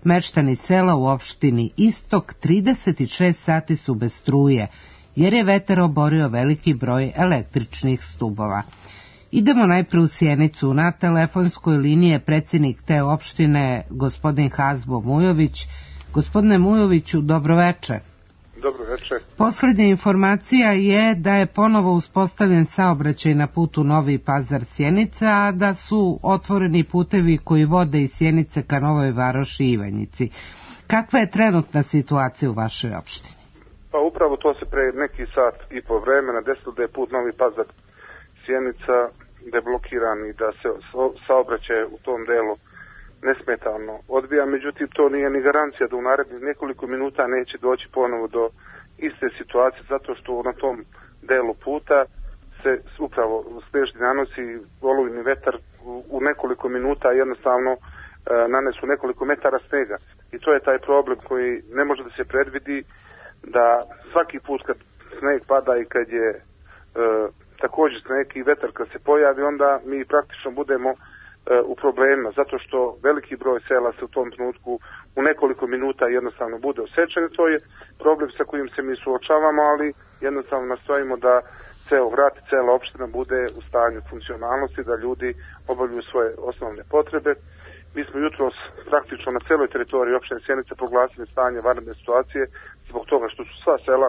Meštani sela u opštini Istok trideset šest sati su bez struje, jer je vetar oborio veliki broj električnih stubova. Idemo najpre u Sjenicu. Na telefonskoj liniji je predsjednik te opštine, gospodin Hazbo Mujović. Gospodine Mujoviću, dobroveče. Dobroveče. Poslednja informacija je da je ponovo uspostavljen saobraćaj na putu Novi Pazar-Sjenica, a da su otvoreni putevi koji vode iz Sjenice ka Novoj Varoši i Ivanjici. Kakva je trenutna situacija u vašoj opštini? Pa upravo to se pre neki sat i po vremena desilo da je put Novi Pazar-Sjenica deblokiran i da se saobraćaj u tom delu nesmetano odvija, međutim to nije ni garancija da u narednih nekoliko minuta neće doći ponovo do iste situacije, zato što na tom delu puta se upravo snežni nanosi olujni vetar u nekoliko minuta jednostavno e, nanesu nekoliko metara snega. I to je taj problem koji ne može da se predvidi, da svaki put kad sneg pada i kad je e, također sneg i vetar kad se pojavi, onda mi praktično budemo u problemima, zato što veliki broj sela se u tom trenutku u nekoliko minuta jednostavno bude osečen. To je problem sa kojim se mi suočavamo, ali jednostavno nastojimo da ceo grad i cela opština bude u stanju funkcionalnosti, da ljudi obavljaju svoje osnovne potrebe. Mi smo jutros praktično na celoj teritoriji opštine Sjenica proglasili stanje vanredne situacije zbog toga što su sva sela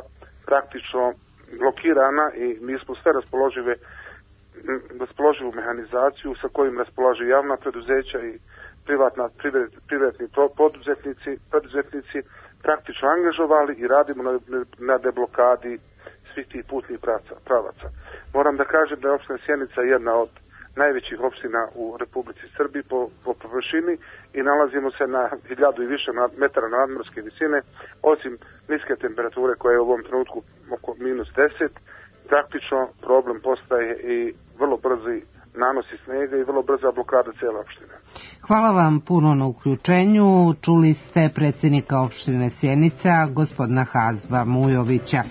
praktično blokirana i mi smo sve raspoložive raspoloživu mehanizaciju sa kojim raspolažu javna preduzeća i privatna, privatni poduzetnici, poduzetnici praktično angažovali i radimo na, na deblokadi svih tih putnih pravaca. Moram da kažem da je opština Sjenica jedna od najvećih opština u Republici Srbiji po, po površini i nalazimo se na hiljadu i više metara nadmorske visine, osim niske temperature koja je u ovom trenutku oko minus deset. Praktično problem postaje i vrlo brzi nanosi snega i vrlo brza blokada cijele opštine. Hvala vam puno na uključenju. Čuli ste predsjednika opštine Sjenica, gospodina Hazba Mujovića.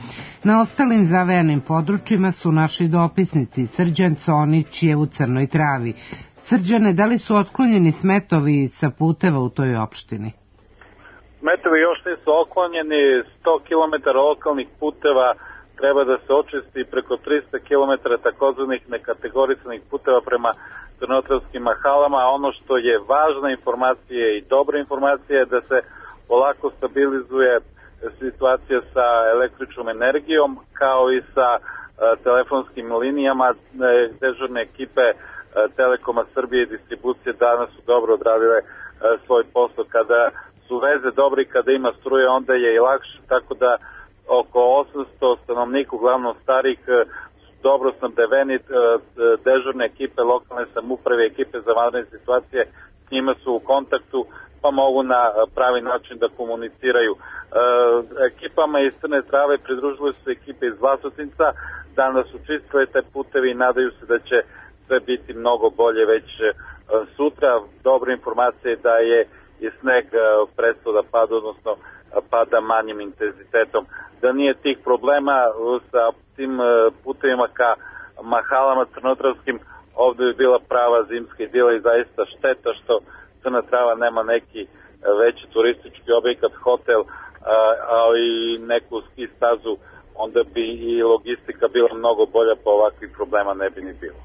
Na ostalim zavejanim područjima su naši dopisnici. Srđan Conić je u Crnoj Travi. Srđane, da li su otklonjeni smetovi sa puteva u toj opštini? Smetovi još nisu otklonjeni, sto kilometara lokalnih puteva treba da se očisti, preko trista kilometara takozvanih nekategorisanih puteva prema crnotravskim mahalama, a ono što je važna informacija i dobra informacija je da se polako stabilizuje situacija sa električnom energijom, kao i sa uh, telefonskim linijama. Dežurne ekipe uh, Telekoma Srbije i distribucije danas su dobro odradile uh, svoj posao. Kada su veze dobre i kada ima struje, onda je i lakše, tako da oko osamsto stanovnika, uglavnom starih, dobro snabdeveni, dežurne ekipe lokalne samouprave, ekipe za vanredne situacije, s njima su u kontaktu, pa mogu na pravi način da komuniciraju. Ekipama iz Crne Trave pridružili su ekipe iz Vlasotinca, danas su čistile te putevi i nadaju se da će sve biti mnogo bolje već sutra. Dobra informacija je da je i sneg prestao da pada, odnosno pada manjim intenzitetom. Da nije tih problema sa tim putevima ka mahalama crnotravskim, ovdje bi bila prava zimska idila i zaista šteta što Crna Trava nema neki veći turistički objekat, hotel, ali i neku ski stazu, onda bi i logistika bila mnogo bolja, pa ovakvih problema ne bi ni bilo.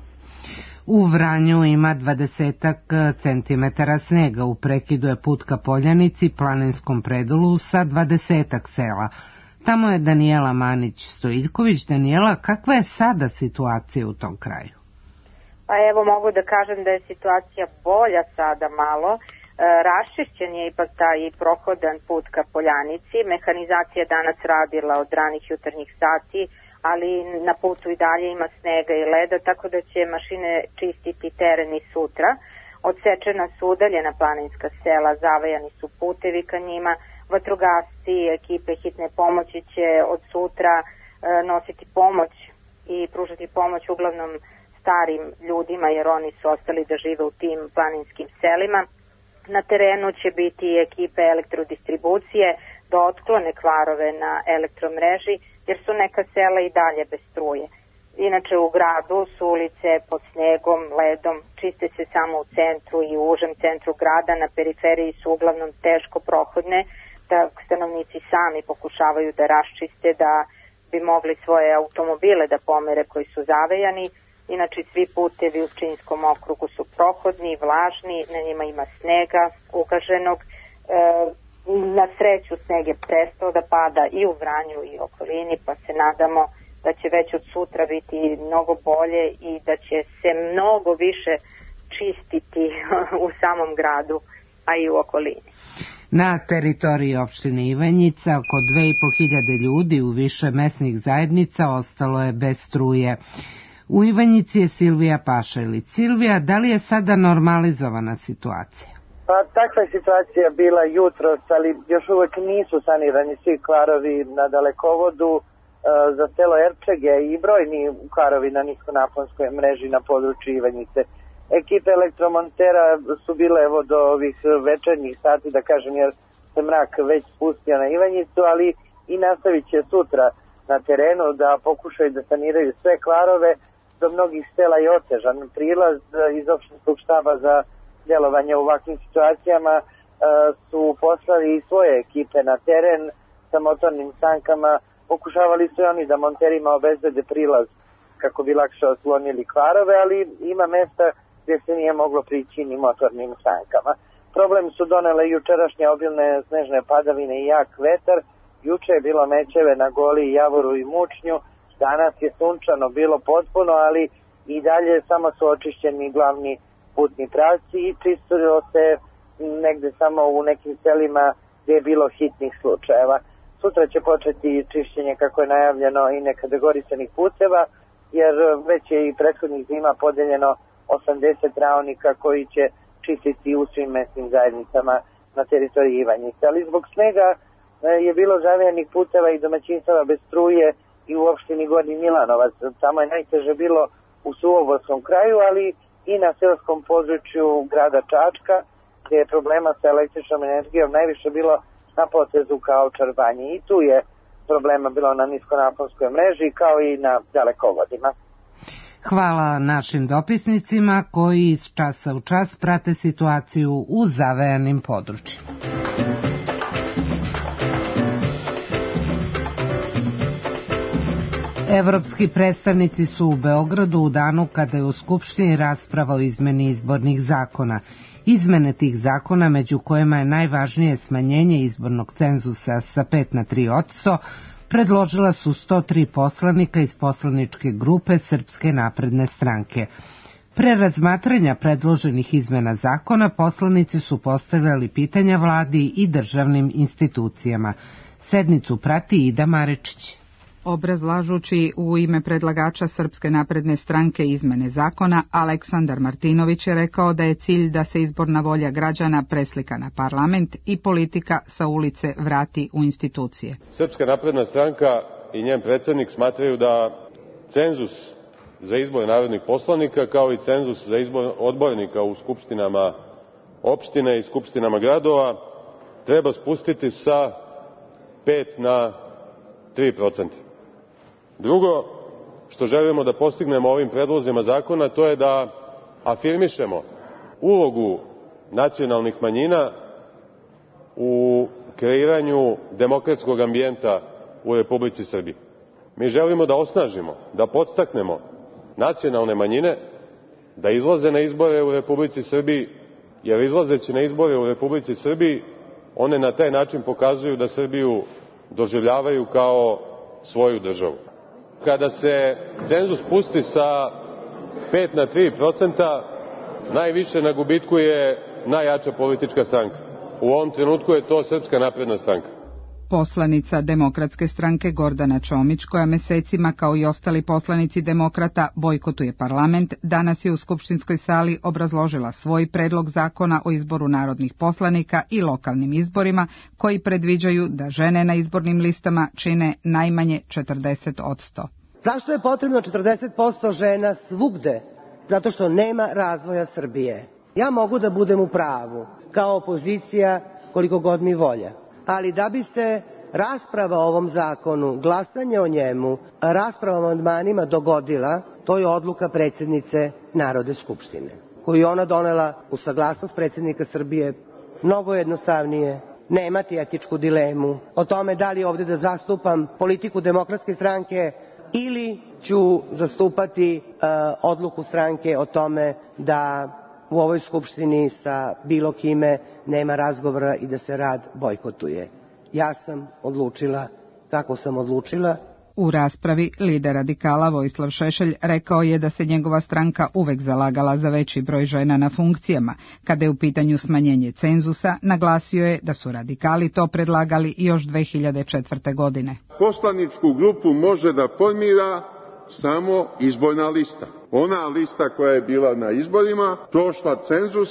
U Vranju ima dvadesetak centimetara snega. U prekidu je put ka Poljanici, planinskom predelu sa dvadesetak sela. Tamo je Danijela Manić-Stojiljković. Danijela, kakva je sada situacija u tom kraju? Pa evo, mogu da kažem da je situacija bolja sada malo. E, raščišćen je ipak taj prohodan put ka Poljanici. Mehanizacija danas radila od ranih jutarnjih sati, ali na putu i dalje ima snega i leda, tako da će mašine čistiti teren i sutra. Odsečena su udaljena planinska sela, zavejani su putevi ka njima, Vatrogasci, ekipe hitne pomoći će od sutra e, nositi pomoć i pružati pomoć uglavnom starim ljudima, jer oni su ostali da žive u tim planinskim selima. Na terenu će biti ekipe elektrodistribucije da otklone kvarove na elektromreži, jer su neka sela i dalje bez struje. Inače u gradu su ulice pod snegom, ledom, čiste se samo u centru i u užem centru grada, na periferiji su uglavnom teško prohodne, da stanovnici sami pokušavaju da raščiste, da bi mogli svoje automobile da pomere koji su zavejani. Inače svi putevi u Pčinjskom okrugu su prohodni, vlažni, na njima ima snega ugaženog. E, na sreću sneg je prestao da pada i u Vranju i okolini, pa se nadamo da će već od sutra biti mnogo bolje i da će se mnogo više čistiti u samom gradu, a i u okolini. Na teritoriji opštine Ivanjica oko dve i po hiljade ljudi u više mesnih zajednica ostalo je bez struje. U Ivanjici je Silvija Pašalić. Silvija, da li je sada normalizovana situacija? Pa takva je situacija bila jutros, ali još uvek nisu sanirani svi kvarovi na dalekovodu. Za selo Erčege i brojni kvarovi na niskonaponskoj mreži na području Ivanjice. Ekipe elektromontera su bile evo do ovih večernjih sati, da kažem, jer se mrak već spustio na Ivanjicu, ali i nastavit će sutra na terenu da pokušaju da saniraju sve kvarove. Do mnogih sela je otežan prilaz. Iz opštinskog štaba za djelovanje u ovakvim situacijama su poslali i svoje ekipe na teren sa motornim sankama. Pokušavali su oni da monterima obezbede prilaz kako bi lakše otklonili kvarove, ali ima mesta gdje se nije moglo prići ni motornim sankama. Problem su donele jučerašnje obilne snežne padavine i jak vetar. Juče je bilo mečeve na Goli, Javoru i Mučnju. Danas je sunčano bilo potpuno, ali i dalje samo su očišćeni glavni putni pravci i čistilo se negde samo u nekim selima gdje je bilo hitnih slučajeva. Sutra će početi čišćenje, kako je najavljeno, i nekategorisanih puteva, jer već je i prethodnih zima podeljeno osamdeset raonika koji će čistiti u svim mesnim zajednicama na teritoriji Ivanjice. Ali zbog snega je bilo zavejanih puteva i domaćinstava bez struje i u opštini Gornji Milanovac. Tamo je najteže bilo u Suvoborskom kraju, ali i na seoskom području grada Čačka, gdje je problema sa električnom energijom najviše bilo na potezu kao Čarbanji. I tu je problema bilo na niskonaponskoj mreži kao i na dalekovodima. Hvala našim dopisnicima koji iz časa u čas prate situaciju u zavejanim područjima. Evropski predstavnici su u Beogradu u danu kada je u Skupštini rasprava o izmeni izbornih zakona. Izmene tih zakona, među kojima je najvažnije smanjenje izbornog cenzusa sa pet na tri odsto, predložila su sto tri poslanika iz poslaničke grupe Srpske napredne stranke. Pre razmatranja predloženih izmena zakona, poslanici su postavljali pitanja vladi i državnim institucijama. Sednicu prati Ida Marečić. Obrazlažući u ime predlagača Srpske napredne stranke izmene zakona, Aleksandar Martinović je rekao da je cilj da se izborna volja građana preslika na parlament i politika sa ulice vrati u institucije. Srpska napredna stranka i njen predsjednik smatraju da cenzus za izbor narodnih poslanika kao i cenzus za izbor odbornika u skupštinama opštine i skupštinama gradova treba spustiti sa pet na tri procenta. Drugo što želimo da postignemo ovim predlozima zakona, to je da afirmišemo ulogu nacionalnih manjina u kreiranju demokratskog ambijenta u Republici Srbiji. Mi želimo da osnažimo, da podstaknemo nacionalne manjine da izlaze na izbore u Republici Srbiji, jer izlazeći na izbore u Republici Srbiji, one na taj način pokazuju da Srbiju doživljavaju kao svoju državu. Kada se cenzus spusti sa pet na tri procenta, najviše na gubitku je najjača politička stranka. U ovom trenutku je to Srpska napredna stranka. Poslanica Demokratske stranke Gordana Čomić, koja mesecima kao i ostali poslanici demokrata bojkotuje parlament, danas je u skupštinskoj sali obrazložila svoj predlog zakona o izboru narodnih poslanika i lokalnim izborima koji predviđaju da žene na izbornim listama čine najmanje četrdeset posto. Zašto je potrebno četrdeset posto žena svugde? Zato što nema razvoja Srbije. Ja mogu da budem u pravu, kao opozicija, koliko god mi volja. Ali da bi se rasprava o ovom zakonu, glasanje o njemu, rasprava o amandmanima dogodila, to je odluka predsjednice Narodne skupštine, koju je ona donela u saglasnost predsjednika Srbije, mnogo jednostavnije, nemati etičku dilemu o tome da li ovde da zastupam politiku Demokratske stranke ili ću zastupati uh, odluku stranke o tome da u ovoj skupštini sa bilo kime nema razgovora i da se rad bojkotuje. Ja sam odlučila kako sam odlučila. U raspravi lider radikala Vojislav Šešelj rekao je da se njegova stranka uvek zalagala za veći broj žena na funkcijama. Kada je u pitanju smanjenje cenzusa, naglasio je da su radikali to predlagali još dve hiljade četvrte. godine. Poslaničku grupu može da formira samo izborna lista. Ona lista koja je bila na izborima, prošla cenzus,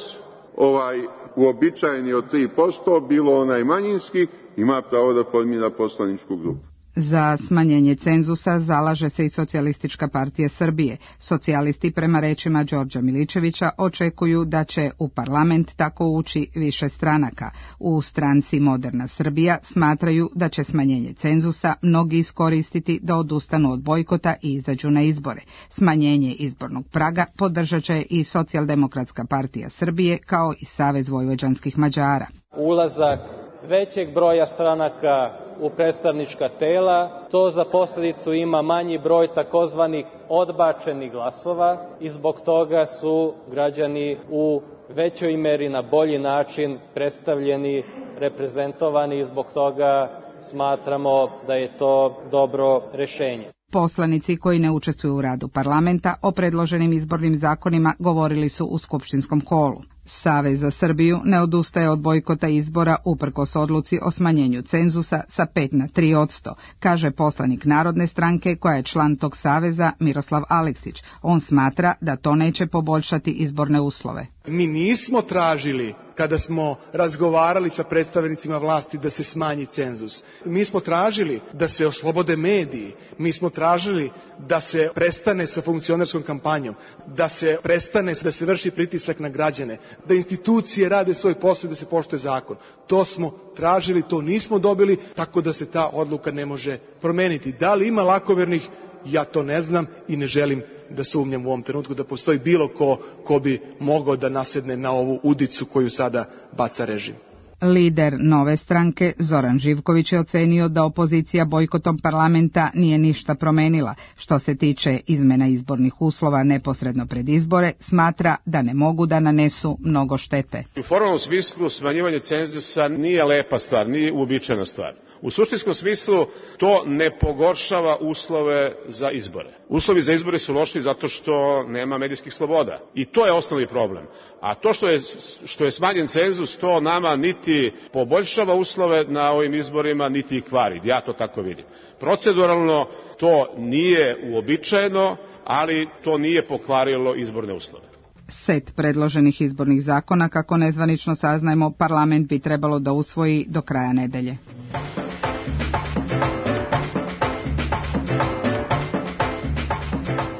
ovaj uobičajeni od tri posto, bilo onaj manjinski, ima pravo da formira poslaničku grupu. Za smanjenje cenzusa zalaže se i Socijalistička partija Srbije. Socijalisti, prema rečima Đorđa Miličevića, očekuju da će u parlament tako ući više stranaka. U stranci Moderna Srbija smatraju da će smanjenje cenzusa mnogi iskoristiti da odustanu od bojkota i izađu na izbore. Smanjenje izbornog praga podržat će i Socijaldemokratska partija Srbije kao i Savez vojvođanskih Mađara. Ulazak većeg broja stranaka u predstavnička tela, to za posljedicu ima manji broj takozvanih odbačenih glasova i zbog toga su građani u većoj meri na bolji način predstavljeni, reprezentovani i zbog toga smatramo da je to dobro rešenje. Poslanici koji ne učestvuju u radu parlamenta o predloženim izbornim zakonima govorili su u skupštinskom holu. Savez za Srbiju ne odustaje od bojkota izbora uprkos odluci o smanjenju cenzusa sa pet na tri posto, kaže poslanik Narodne stranke koja je član tog saveza Miroslav Aleksić. On smatra da to neće poboljšati izborne uslove. Mi nismo tražili, kada smo razgovarali sa predstavnicima vlasti, da se smanji cenzus. Mi smo tražili da se oslobode mediji, mi smo tražili da se prestane sa funkcionerskom kampanjom, da se prestane da se vrši pritisak na građane, da institucije rade svoj posao, da se poštuje zakon. To smo tražili, to nismo dobili, tako da se ta odluka ne može promeniti. Da li ima lakovernih? Ja to ne znam i ne želim da sumnjam u ovom trenutku da postoji bilo ko ko bi mogao da nasedne na ovu udicu koju sada baca režim. Lider Nove stranke Zoran Živković je ocenio da opozicija bojkotom parlamenta nije ništa promenila. Što se tiče izmena izbornih uslova neposredno pred izbore, smatra da ne mogu da nanesu mnogo štete. U formalnom smislu smanjivanje cenzusa nije lepa stvar, nije uobičajena stvar. U suštinskom smislu to ne pogoršava uslove za izbore. Uslovi za izbore su loši zato što nema medijskih sloboda. I to je osnovni problem. A to što je, što je smanjen cenzus, to nama niti poboljšava uslove na ovim izborima, niti ih kvari. Ja to tako vidim. Proceduralno to nije uobičajeno, ali to nije pokvarilo izborne uslove. Set predloženih izbornih zakona, kako nezvanično saznajemo, parlament bi trebalo da usvoji do kraja nedelje.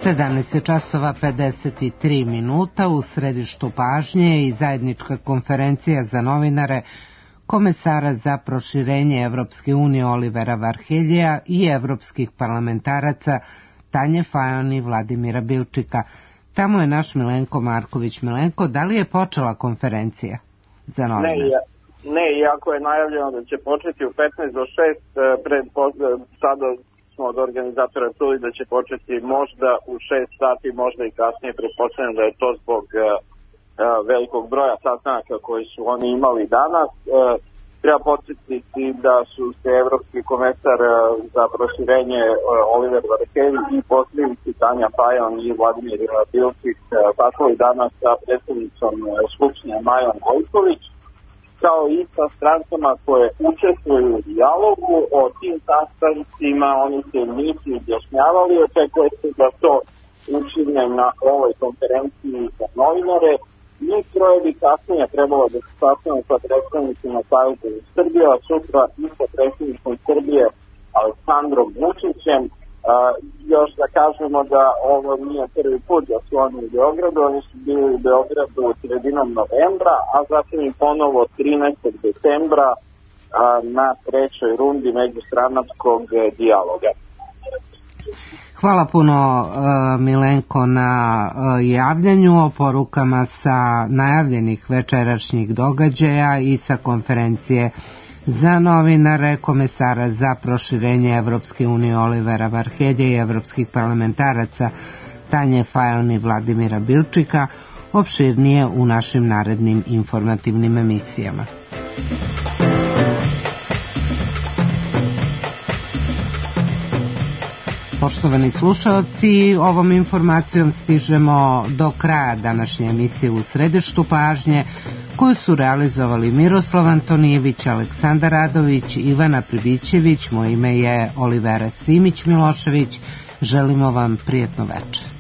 sedamnaest časova pedeset tri minuta. U središtu pažnje i zajednička konferencija za novinare komesara za proširenje Evropske unije Olivera Varheljija i evropskih parlamentaraca Tanje Fajon i Vladimira Bilčika. Tamo je naš Milenko Marković. Milenko, da li je počela konferencija za novinare? Ne, ne, iako je najavljeno da će početi u petnaest do šest, pred, sada smo od organizatora čuli da će početi možda u šest sati, možda i kasnije, pretpostavljam da je to zbog uh, velikog broja sastanaka koji su oni imali danas. Uh, treba podsjetiti da su se evropski komesar uh, za proširenje uh, Oliver Varhelji i poslanici Tanja Fajon i Vladimir Bilčik uh, sastavili danas sa predsednicom uh, Skupštine Majom Gojković. kao i sa strankama koje učestvuju u dijalogu. O tim sastancima oni se nisu izjašnjavali, očekuje se da to učine na ovoj konferenciji za novinare. Mi troje bi kasnije trebalo da se sastavimo sa predstavnicima Saveza za Srbiju, a sutra i sa predstavnicom Srbije Aleksandrom Vučićem. Uh, još da kažemo da ovo nije prvi put da su oni u Beogradu, oni su bili u Beogradu sredinom novembra, a zatim i ponovo trinaestog decembra uh, na trećoj rundi međustranačkog dijaloga. Hvala puno Milenko na javljanju o porukama sa najavljenih večerašnjih događaja i sa konferencije za novinare komesara za proširenje Evropske unije Olivera Varhelje i evropskih parlamentaraca Tanje Fajon i Vladimira Bilčika, opširnije u našim narednim informativnim emisijama. Poštovani slušalci, ovom informacijom stižemo do kraja današnje emisije U središtu pažnje, koju su realizovali Miroslav Antonijević, Aleksandar Radović, Ivana Pribićević, moje ime je Olivera Simić-Milošević. Želimo vam prijetno večer.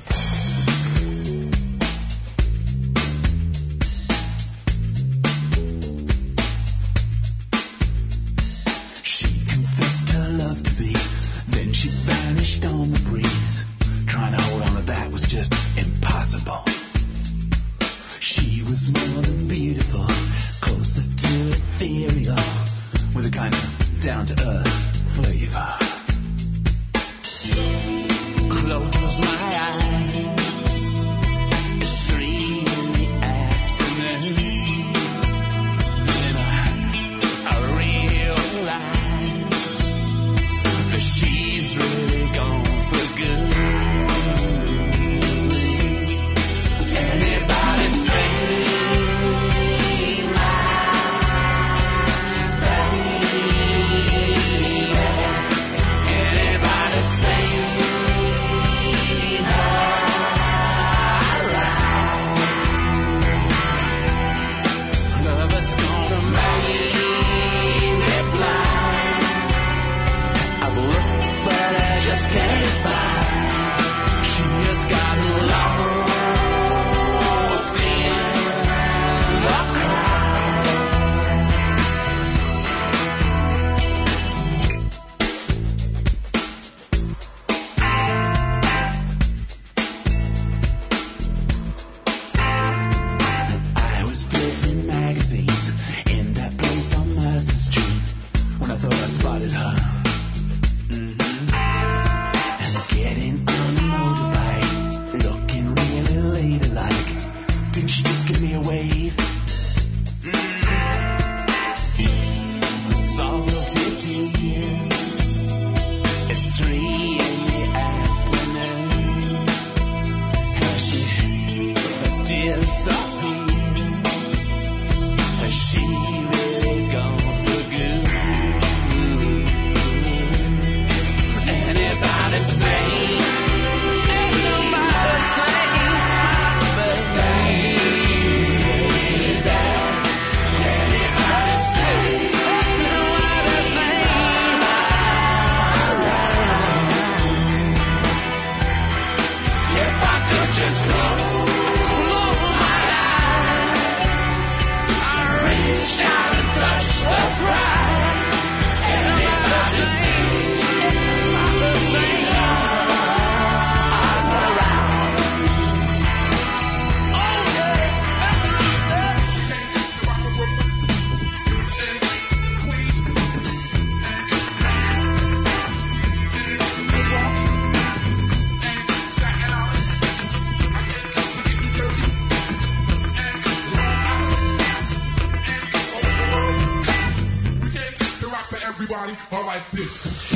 Everybody, all right, this.